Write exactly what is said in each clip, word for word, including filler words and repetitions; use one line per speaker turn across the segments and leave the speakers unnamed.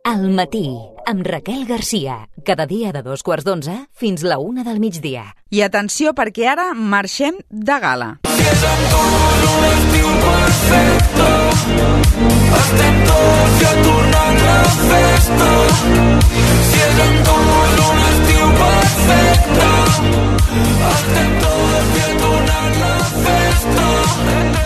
Al matí, amb Raquel Garcia. Cada dia de dos quarts d'onze fins la una del migdia.
I atenció, perquè ara marxem de gala.
Si és amb tu un estiu perfecte, estem tots ja tornant la festa. Si és amb tu un estiu perfecte, estem tots ja tornant la festa.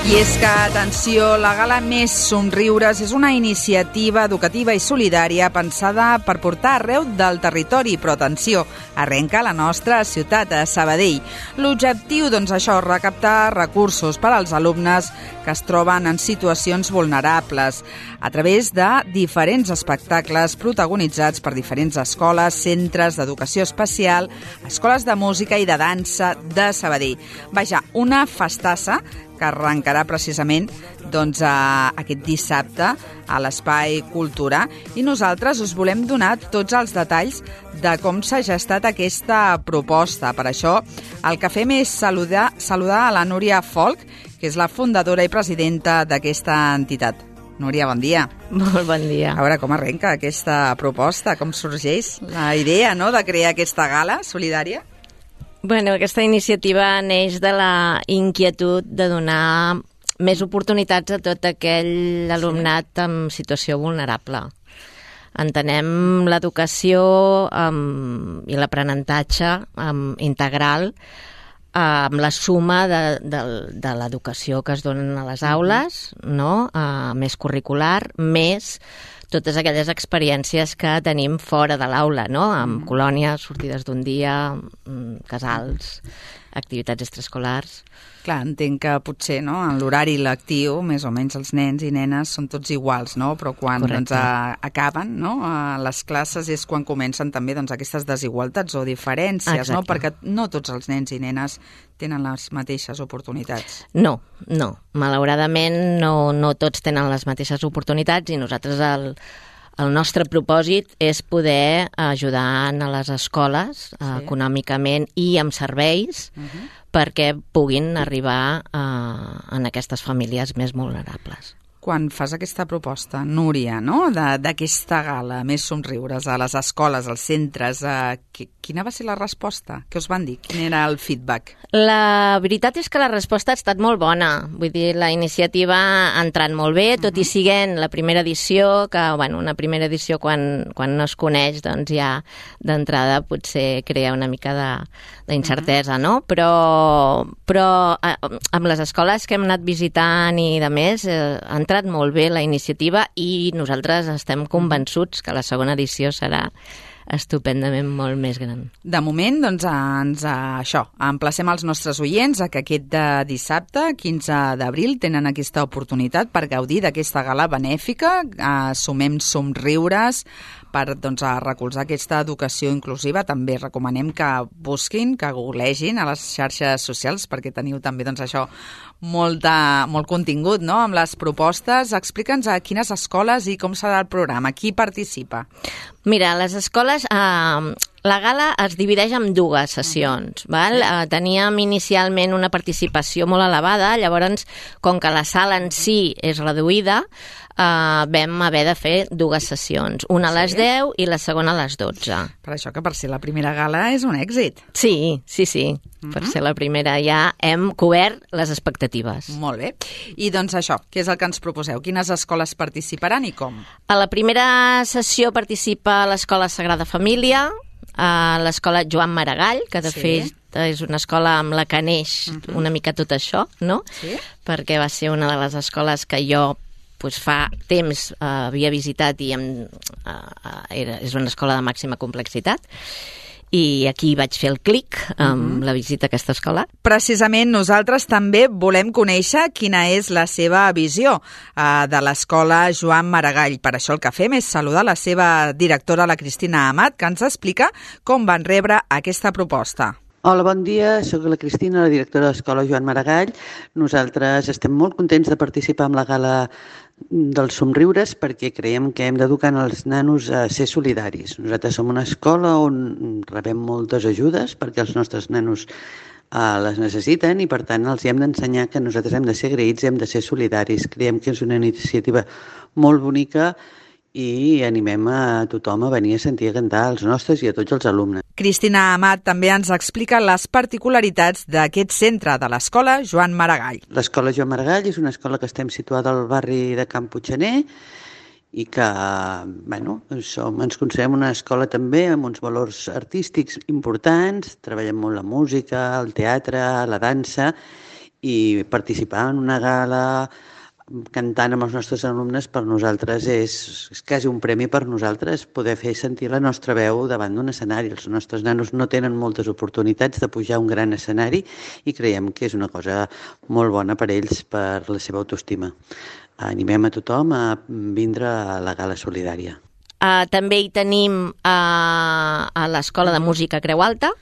I és que, atenció, la Gala Més Somriures és una iniciativa educativa i solidària pensada per portar arreu del territori, però atenció, arrenca a la nostra ciutat, a Sabadell. L'objectiu, doncs això, recaptar recursos per als alumnes que es troben en situacions vulnerables a través de diferents espectacles protagonitzats per diferents escoles, centres d'educació especial, escoles de música i de dansa de Sabadell. Vaja, una festassa que arrencarà precisament doncs, a, aquest dissabte a l'Espai Cultura, i nosaltres us volem donar tots els detalls de com s'ha gestat aquesta proposta. Per això el que fem és saludar, saludar a la Núria Folch, que és la fundadora i presidenta d'aquesta entitat. Núria, bon dia.
Molt bon dia.
A veure, com arrenca aquesta proposta, com sorgeix la idea, no?, de crear aquesta gala solidària?
Bueno, aquesta iniciativa neix de la inquietud de donar més oportunitats a tot aquell alumnat en situació vulnerable. Entenem l'educació um, i l'aprenentatge um, integral amb la suma de, de, de l'educació que es donen a les aules, no? Uh, més curricular, més totes aquelles experiències que tenim fora de l'aula, no? Amb colònies, sortides d'un dia, casals, activitats extraescolars.
Clar, entenc que potser, no?, en l'horari lectiu, més o menys els nens i nenes són tots iguals, no? Però quan doncs, a, acaben, no?, a les classes és quan comencen també doncs, aquestes desigualtats o diferències,
Exacte.
No? Perquè no tots els nens i nenes tenen les mateixes oportunitats.
No, no. Malauradament no, no tots tenen les mateixes oportunitats i nosaltres el, el nostre propòsit és poder ajudar a les escoles sí. econòmicament i amb serveis uh-huh. perquè puguin arribar a, a aquestes famílies més vulnerables.
Quan fas aquesta proposta, Núria, no?, d'aquesta gala Més Somriures a les escoles, als centres, eh, quina va ser la resposta? Què us van dir? Quin era el feedback?
La veritat és que la resposta ha estat molt bona. Vull dir, la iniciativa ha entrat molt bé, tot uh-huh. i siguent la primera edició, que, bueno, una primera edició quan, quan no es coneix, doncs ja d'entrada potser crea una mica de, d'incertesa, uh-huh. no? Però, però eh, amb les escoles que hem anat visitant i de més, eh, ha entrat molt bé la iniciativa i nosaltres estem convençuts que la segona edició serà estupendament molt més gran.
De moment, doncs, ens, això, emplacem els nostres oients a que aquest de dissabte, quinze d'abril, tenen aquesta oportunitat per gaudir d'aquesta gala benèfica, eh, Sumem Somriures, per doncs, a recolzar aquesta educació inclusiva. També recomanem que busquin, que googlegin a les xarxes socials, perquè teniu també doncs, això molta, molt contingut, no?, amb les propostes. Explica'ns a quines escoles i com serà el programa, qui participa.
Mira, les escoles, eh, la gala es divideix en dues sessions. Val? Eh, teníem inicialment una participació molt elevada, llavors, com que la sala en si és reduïda, Uh, vam haver de fer dues sessions, una a les sí. deu i la segona a les dotze.
Per això que per ser la primera gala és un èxit.
Sí, sí, sí. Uh-huh. Per ser la primera ja hem cobert les expectatives.
Molt bé. I doncs això, què és el que ens proposeu? Quines escoles participaran i com?
A la primera sessió participa l'Escola Sagrada Família, a l'Escola Joan Maragall, que de sí. fet és una escola amb la que neix uh-huh. una mica tot això, no? Sí. Perquè va ser una de les escoles que jo pues fa temps uh, havia visitat i em, uh, era, és una escola de màxima complexitat i aquí vaig fer el clic amb uh-huh. la visita a aquesta escola.
Precisament nosaltres també volem conèixer quina és la seva visió uh, de l'escola Joan Maragall. Per això el que fem és saludar la seva directora, la Cristina Amat, que ens explica com van rebre aquesta proposta.
Hola, bon dia. Soc la Cristina, la directora de l'Escola Joan Maragall. Nosaltres estem molt contents de participar en la gala dels somriures perquè creiem que hem d'educar els nanos a ser solidaris. Nosaltres som una escola on rebem moltes ajudes perquè els nostres nanos eh, les necessiten i per tant els hem d'ensenyar que nosaltres hem de ser agraïts i hem de ser solidaris. Creiem que és una iniciativa molt bonica i animem a tothom a venir a sentir a cantar els nostres i a tots els alumnes.
Cristina Amat també ens explica les particularitats d'aquest centre de l'Escola Joan Maragall.
L'Escola Joan Maragall és una escola que estem situada al barri de Can Puiggener i que bueno, som, ens considerem una escola també amb uns valors artístics importants, treballem molt la música, el teatre, la dansa, i participar en una gala cantant amb els nostres alumnes per nosaltres és, és quasi un premi per nosaltres poder fer sentir la nostra veu davant d'un escenari. Els nostres nanos no tenen moltes oportunitats de pujar a un gran escenari i creiem que és una cosa molt bona per ells, per la seva autoestima. Animem a tothom a vindre a la gala solidària.
Uh, també hi tenim uh, a l'Escola de Música Creu Alta,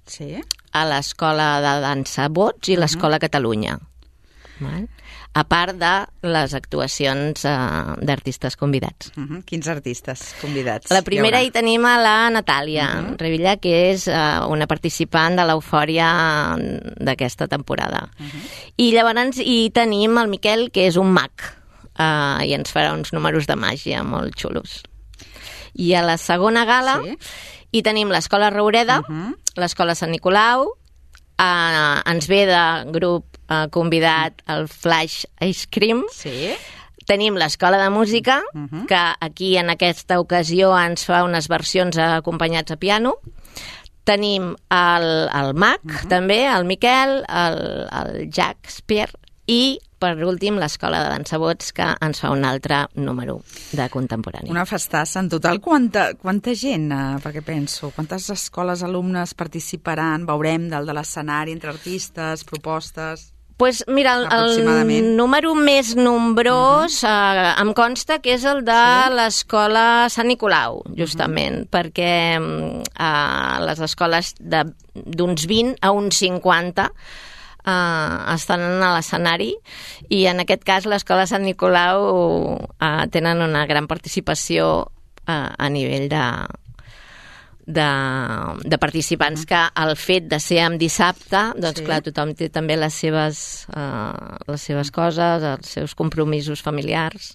sí.
a l'Escola de Dansa Bots i l'Escola uh-huh. Catalunya. Val? A part de les actuacions uh, d'artistes convidats.
Uh-huh. Quins artistes convidats?
La primera hi, hi tenim a la Natàlia uh-huh. Revilla, que és uh, una participant de l'Eufòria d'aquesta temporada. Uh-huh. I llavors hi tenim el Miquel, que és un mag, uh, i ens farà uns números de màgia molt xulos. I a la segona gala sí. hi tenim l'Escola Roureda, uh-huh. l'Escola Sant Nicolau, uh, ens ve de grup Uh, convidat al Flash Ice Cream.
Sí.
Tenim l'Escola de Música, uh-huh. que aquí en aquesta ocasió ens fa unes versions acompanyats a piano. Tenim el, el Mac, uh-huh. també, el Miquel, el, el Jack Spear, i per últim l'Escola de Dansa Bots, que ens fa un altre número de contemporani.
Una festassa. En total, quanta, quanta gent, eh, perquè penso, quantes escoles, alumnes participaran, veurem dalt de l'escenari, entre artistes, propostes...
Pues mira, el, el número més nombrós uh-huh. eh, em consta que és el de sí. l'Escola Sant Nicolau, justament, uh-huh. perquè eh, les escoles d'uns vint a uns cinquanta eh, estan a l'escenari i en aquest cas l'Escola Sant Nicolau eh, tenen una gran participació eh, a nivell de... De, de participants, que el fet de ser en dissabte, doncs sí. clar, tothom té també les seves, uh, les seves coses, els seus compromisos familiars.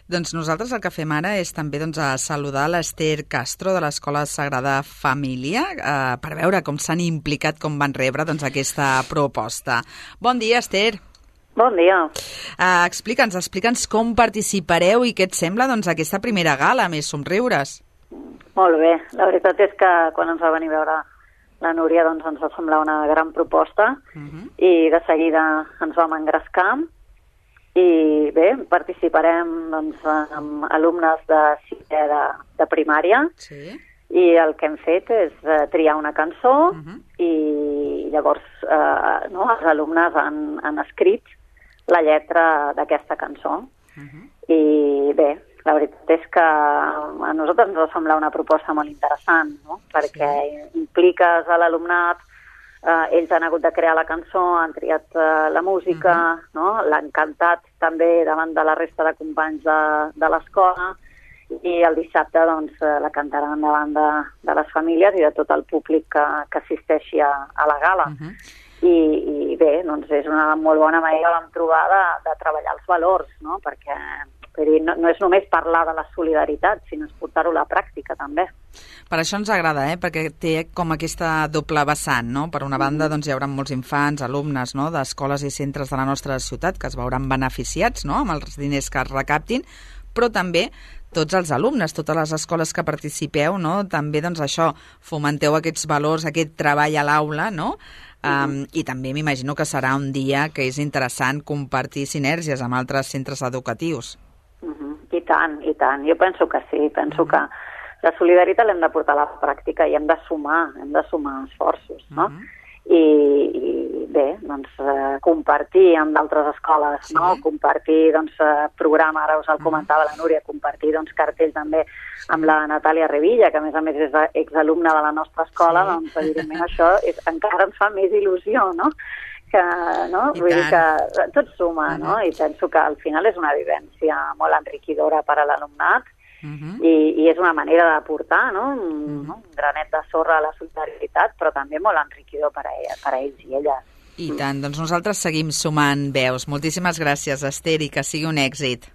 Doncs nosaltres el que fem ara és també doncs, a saludar l'Ester Castro de l'Escola Sagrada Família uh, per veure com s'han implicat, com van rebre doncs, aquesta proposta. Bon dia,Ester.
Bon dia.
Uh, explica'ns, explica'ns com participareu i què et sembla doncs, aquesta primera gala, més somriures.
Molt bé. La veritat és que quan ens va venir a veure la Núria doncs ens va semblar una gran proposta uh-huh. i de seguida ens vam engrescar i bé, participarem doncs, amb alumnes de sisè de, de primària
sí.
i el que hem fet és uh, triar una cançó uh-huh. i llavors uh, no, els alumnes han, han escrit la lletra d'aquesta cançó uh-huh. i bé, la veritat és que a nosaltres ens va semblar una proposta molt interessant, no? Perquè sí. impliques a l'alumnat, eh, ells han hagut de crear la cançó, han triat eh, la música, uh-huh. no? L'han cantat també davant de la resta de companys de, de l'escola i el dissabte doncs, la cantaran davant de, de les famílies i de tot el públic que, que assisteixi a, a la gala. Uh-huh. I, i bé, doncs és una molt bona manera, vam trobar, de, de treballar els valors, no? Perquè dir, no, no és només parlar de la solidaritat, sinó és portar-ho a la pràctica, també.
Per això ens agrada, eh? Perquè té com aquesta doble vessant, no? Per una banda, doncs, hi haurà molts infants, alumnes, no? d'escoles i centres de la nostra ciutat que es veuran beneficiats, no? Amb els diners que es recaptin, però també tots els alumnes, totes les escoles que participeu, no? També, doncs, això, fomenteu aquests valors, aquest treball a l'aula, no? Um, uh-huh. I també m'imagino que serà un dia que és interessant compartir sinergies amb altres centres educatius.
Uh-huh. I tant, i tant. Jo penso que sí. Penso uh-huh. que la solidaritat l'hem de portar a la pràctica i hem de sumar, hem de sumar esforços, no? Uh-huh. I, i bé, doncs, eh, compartir amb d'altres escoles, sí. no? Compartir, doncs, eh, programa, ara us el comentava la Núria, compartir, doncs, cartell també amb la Natàlia Revilla, que a més a més és exalumna de la nostra escola, sí. doncs, evidentment, això és, encara ens fa més il·lusió, no? Que, no? Vull dir que tot suma, uh-huh. no? I penso que al final és una vivència molt enriquidora per a l'alumnat, Uh-huh. I, i és una manera d'aportar, no? Un, uh-huh. un granet de sorra a la solidaritat, però també molt enriquidor per a, ella, per a ells i elles.
I tant, doncs nosaltres seguim sumant veus. Moltíssimes gràcies, Ester, i que sigui un èxit.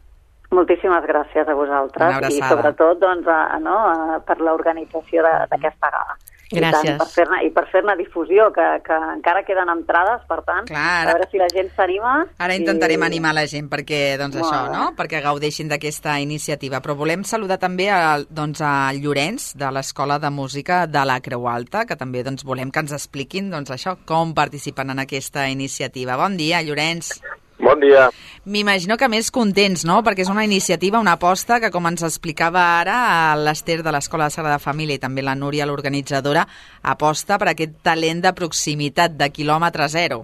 Moltíssimes gràcies a vosaltres i sobretot doncs, a, no, a, per l'organització d'aquesta gala.
Gràcies.
I, tant, per fer-ne i per fer-ne difusió, que, que encara queden entrades, per tant,
Clar,
a veure si la gent s'anima.
Ara intentarem
i...
animar la gent perquè, doncs, això, no? perquè gaudeixin d'aquesta iniciativa. Però volem saludar també a, doncs, a Llorenç, de l'Escola de Música de la Creu Alta, que també doncs, volem que ens expliquin doncs, això, com participen en aquesta iniciativa. Bon dia, Llorenç.
Bon dia.
M'imagino que més contents, no? Perquè és una iniciativa, una aposta que, com ens explicava ara l'Ester de l'Escola de Sagrada Família i també la Núria, l'organitzadora, aposta per aquest talent de proximitat, de quilòmetre zero.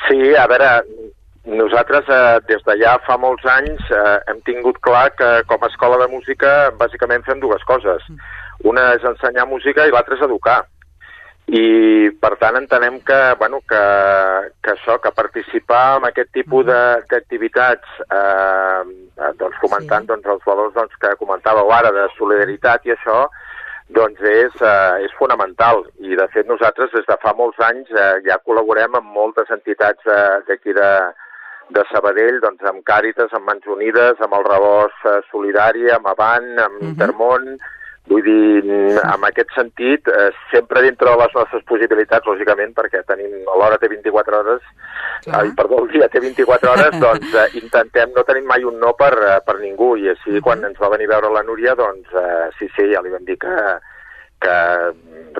Sí, a veure, nosaltres eh, des de ja fa molts anys eh, hem tingut clar que com a escola de música bàsicament fem dues coses. Una és ensenyar música i l'altra és educar. I per tant entenem que, bueno, que, que això, que participar en aquest tipus d'activitats eh, doncs fomentant sí. doncs, els valors doncs, que comentàveu ara de solidaritat i això doncs és, eh, és fonamental i de fet nosaltres des de fa molts anys eh, ja col·laborem amb moltes entitats d'aquí de, de Sabadell, doncs amb Càritas, amb Mans Unides, amb el Rebost eh, Solidari, amb Avant, amb uh-huh. Intermón. Vull dir, en aquest sentit, eh, sempre dintre de les nostres possibilitats, lògicament, perquè tenim l'hora té vint-i-quatre hores, ai, perdó, el dia té vint-i-quatre hores, doncs eh, intentem, no tenim mai un no per, per ningú, i així uh-huh. quan ens va venir a veure la Núria, doncs eh, sí, sí, ja li vam dir que, que,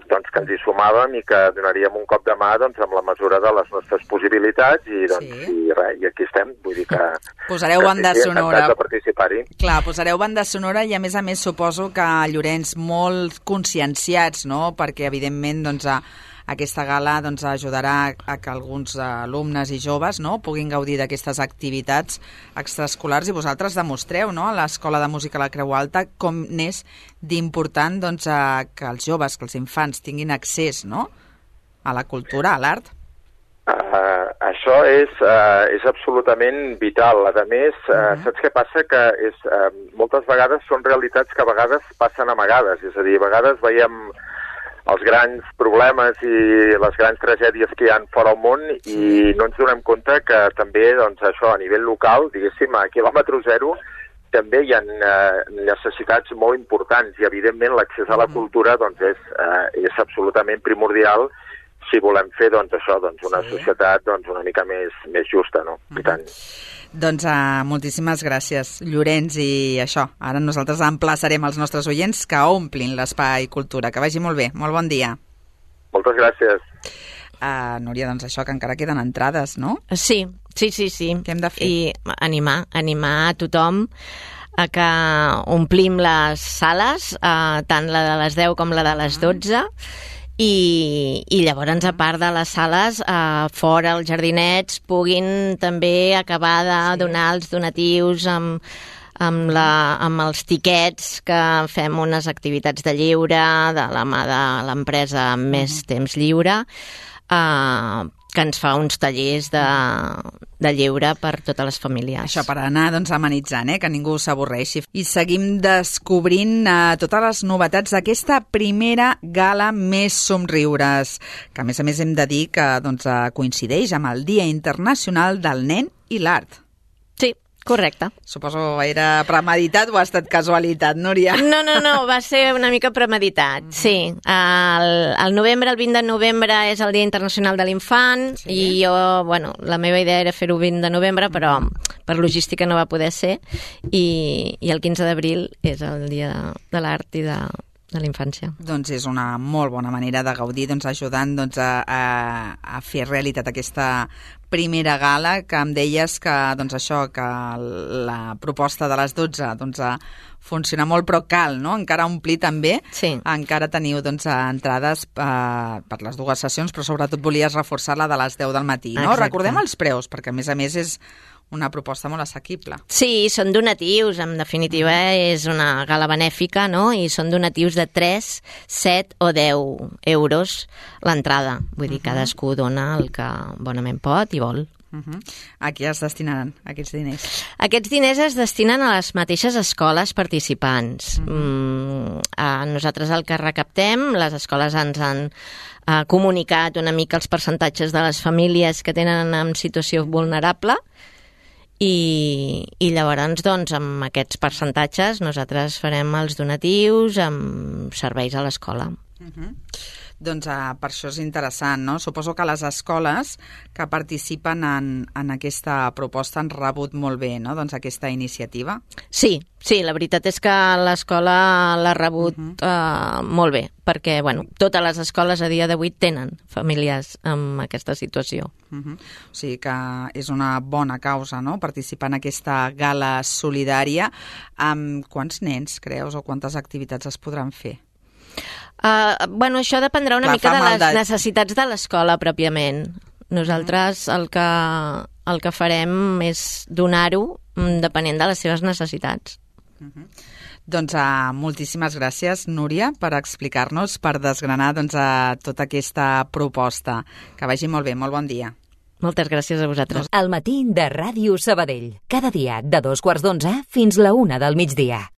doncs, que ens hi sumàvem i que donaríem un cop de mà doncs, amb la mesura de les nostres possibilitats i, doncs, sí. i, res, i aquí estem, vull dir que...
Posareu
que
banda
sí,
sonora.
De participar-hi.
Clar, posareu banda sonora i a més a més suposo que Llorenç molt conscienciats, no? Perquè evidentment doncs, a, aquesta gala doncs, ajudarà a que alguns alumnes i joves no? puguin gaudir d'aquestes activitats extraescolars i vosaltres demostreu no? a l'Escola de Música a la Creu Alta com n'és d'important doncs, a que els joves, que els infants tinguin accés no? a la cultura, a l'art.
Uh, això és, uh, és absolutament vital. A més, uh, uh-huh. saps què passa? Que és, uh, moltes vegades són realitats que a vegades passen amagades. És a dir, a vegades veiem els grans problemes i les grans tragèdies que hi ha fora al món i no ens donem compte que també doncs, això a nivell local, diguéssim, a quilòmetre zero, també hi ha eh, necessitats molt importants i, evidentment, l'accés a la cultura doncs, és, eh, és absolutament primordial si volem fer doncs, això, doncs, una sí. societat doncs, una mica més, més justa. No? Mm. I tant.
Doncs uh, moltíssimes gràcies, Llorenç, i això, ara nosaltres emplaçarem els nostres oients que omplin l'espai cultura. Que vagi molt bé, molt bon dia.
Moltes gràcies.
Uh, Núria, doncs això, que encara queden entrades, no?
Sí, sí, sí, sí.
Què hem de fer?
I animar, animar a tothom a que omplim les sales, uh, tant la de les deu com la de les dotze, I, i llavors a part de les sales eh, fora els jardinets puguin també acabar de sí. donar els donatius amb, amb, la, amb els tiquets que fem unes activitats de lleure de la mà de l'empresa Més Temps Lliure eh, que ens fa uns tallers de, de lleure per totes les famílies.
Això per anar doncs, amenitzant, eh? Que ningú s'avorreixi. I seguim descobrint eh, totes les novetats d'aquesta primera gala Més Somriures, que a més a més hem de dir que doncs, coincideix amb el Dia Internacional del Nen i l'Art.
Sí, correcte.
Suposo era premeditat o ha estat casualitat, Núria?
No, no, no, va ser una mica premeditat, sí. El, el novembre, el vint de novembre és el Dia Internacional de l'Infant sí. i jo, bueno, la meva idea era fer-ho vint de novembre, però per logística no va poder ser i, i el quinze d'abril és el Dia de l'Art i de, de la Infància. Doncs
és una molt bona manera de gaudir, doncs, ajudant doncs, a, a, a fer realitat aquesta primera gala, que em deies que, doncs això, que la proposta de les dotze doncs, funciona molt, però cal, no? Encara omplir també.
Sí.
Encara teniu doncs, entrades eh, per les dues sessions, però sobretot volies reforçar la de les deu del matí, no?
Exacte.
Recordem els preus, perquè a més a més és una proposta molt assequible.
Sí, són donatius, en definitiva és una gala benèfica, no? I són donatius de tres, set o deu euros l'entrada. Vull dir, uh-huh. cadascú dona el que bonament pot i vol.
Uh-huh. A qui es destinaran aquests diners?
Aquests diners es destinen a les mateixes escoles participants. Uh-huh. Mm, a nosaltres el que recaptem, les escoles ens han eh, comunicat una mica els percentatges de les famílies que tenen en situació vulnerable i, i llavors, doncs, amb aquests percentatges nosaltres farem els donatius amb serveis a l'escola.
Uh-huh. Doncs uh, per això és interessant, no? Suposo que les escoles que participen en, en aquesta proposta han rebut molt bé, no?, doncs aquesta iniciativa.
Sí, sí, la veritat és que l'escola l'ha rebut uh-huh. uh, molt bé, perquè, bueno, totes les escoles a dia d'avui tenen famílies amb aquesta situació.
Uh-huh. O sigui que és una bona causa, no?, participar en aquesta gala solidària. Amb quants nens, creus, o quantes activitats es podran fer?
Uh, bueno, això dependrà una
Clar,
mica de les
de...
necessitats de l'escola pròpiament. Nosaltres el que, el que farem és donar-ho depenent de les seves necessitats.
Uh-huh. Doncs uh, moltíssimes gràcies, Núria, per explicar-nos, per desgranar doncs, uh, tota aquesta proposta. Que vagi molt bé, molt bon dia.
Moltes gràcies a vosaltres.
Al matí de Ràdio Sabadell. Cada dia de dos quarts d'onze fins la una del migdia.